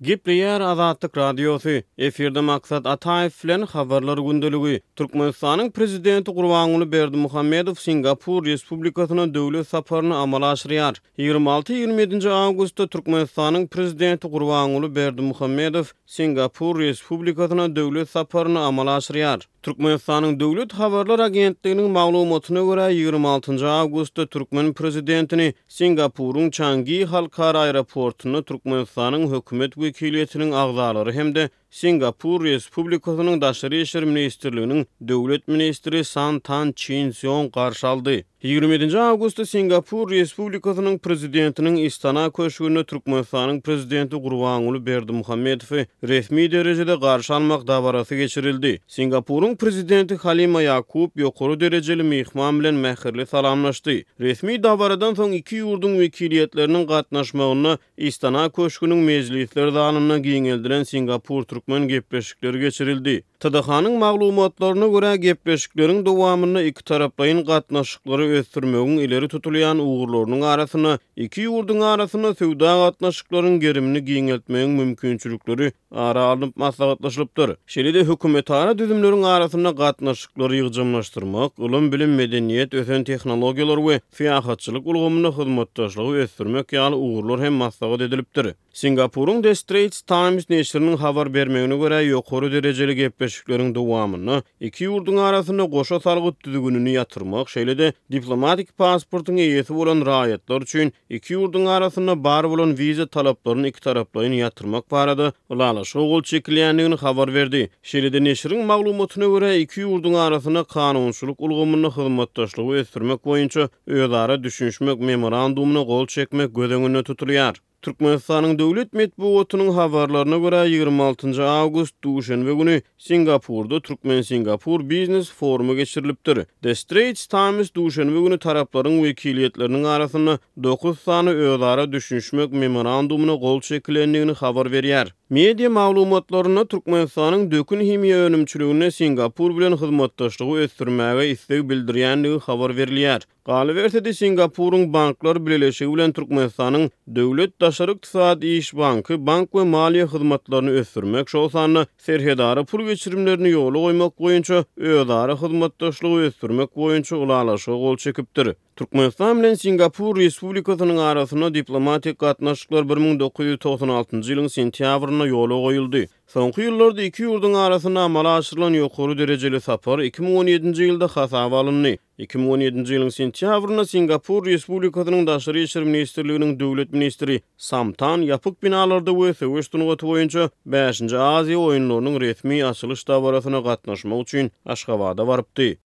Gepleýär Azatlyk Radiosy, Efirde Maksat Ataýew bilen Habarlar gündeligi. Türkmenistanyň Prezidenti Gurbanguly Berdimuhamedow Singapur Respublikasyna döwlet saparyny amala aşyrýar. 26 ýigrimi ýedinji awgustda Türkmenistanyň Prezidenti Gurbanguly Berdimuhamedow Singapur Respublikasyna döwlet saparyny amala aşyrýar. Türkmenistanyň Döwlet habarlar agentliginiň maglumatyna görä, 26 njy awgustda türkmen prezidentini Singapuryň Çangi halkara aeroportynda Türkmenistanyň hökümet wekiliýetiniň agzalary hem-de Singapur Respublikasynyň Daşary işler ministrliginiň döwlet ministri San Tan Çin Sýong garşy aldy. 27 nji awgustda Singapur Respublikasynyň Prezidentiniň Istana köşgünde Türkmenistanyň Prezidenti Gurbanguly Berdimuhamedowy resmi derejede garşy almak dabarasy geçirildi. Singapuryň Prezidenti Halima Ýakup ýokary derejeli myhman bilen mähirli salamlaşdy. Resmi dabaradan soň iki ýurduň wekiliýetleriniň gatnaşmagynda Istana köşgüniň mejlisler zalynda giňeldilen singapur-türkmen gepleşikleri geçirildi. TDH-nyň maglumatlaryna görä, gepleşikleriň dowamynda ikitaraplaýyn gatnaşyklary ösdürmegiň ileri tutulýan ugurlarynyň arasynda iki ýurduň arasynda söwda gatnaşyklaryň gerimini giňeltmegiň mümkinçilikleri ara alnyp maslahatlaşylypdyr. Şeýle-de hökümetara düzümleriň arasynda gatnaşyklary ýygjamlaşdyrmak, ylym-bilim, medeniýet, ösen tehnologiýalar we syýahatçylyk ulgamynda hyzmatdaşlygy ösdürmek ýaly ugurlar hem maslahat edilipdir. Singapuryň The Straits Times neşiriniň habar bermegine görä, ýokary derejeli gepleşikleriň dowamynda iki ýurduň arasynda goşa salgyt düzgünini ýatyrmak, şeýle-de diplomatik pasportyň eýesi bolan raýatlar üçin iki ýurduň arasynda bar bolan wiza talaplaryny ikitaraplaýyn ýatyrmak barada ylalaşyga gol çekilýändigini habar berdi. Şeýle-de neşiriň maglumatyna görä, iki ýurduň arasynda kanunçylyk ulgamynda hyzmatdaşlygy ösdürmek boýunça özara düşünişmek memorandumyna gol çekmek göz öňünde tutulýar. Türkmenistanyň döwlet metbugatynyň habarlaryna görä, 26 awgust, duşenbe güni Singapurda Türkmen-Singapur biznes forumy geçirilipdir. The Straits Times duşenbe güni taraplaryň wekiliýetleriniň arasynda dokuz sany özara düşünişmek memorandumyna gol çekilendigini habar berýär. Media maglumatlarynda Türkmenistanyň dökün himiýa önümçiliginde Singapur bilen hyzmatdaşlygy ösdürmäge isleg bildirýändigi habar berilýär. Galyberse-de, Singapuryň Banklar bileleşigi bilen Türkmenistanyň Döwlet daşary ykdysady iş banky bank we maliýe hyzmatlaryny ösdürmek, şol sanda serhedara pul geçirimlerini ýola goýmak boýunça özara hyzmatdaşlygy ösdürmek boýunça ylalaşyga gol çekipdir. Türkmenistan bilen Singapur Respublikasynyň arasynda diplomatik gatnaşyklar 1996-njy ýylyň sentýabrynda ýola goýuldy. Soňky ýyllarda iki ýurduň arasynda amala aşyrylan ýokary derejeli sapar 2017-nji ýylda hasaba alyndy. 2017-nji ýylyň sentýabrynda Singapur Respublikasynyň Daşary işler ministrliginiň döwlet ministri Sam Tan ýapyk binalarda we söweş sungaty boýunça bäşinji Aziýa oýunlarynyň resmi açylyş dabarasyna gatnaşmak üçin Aşgabada barypdy.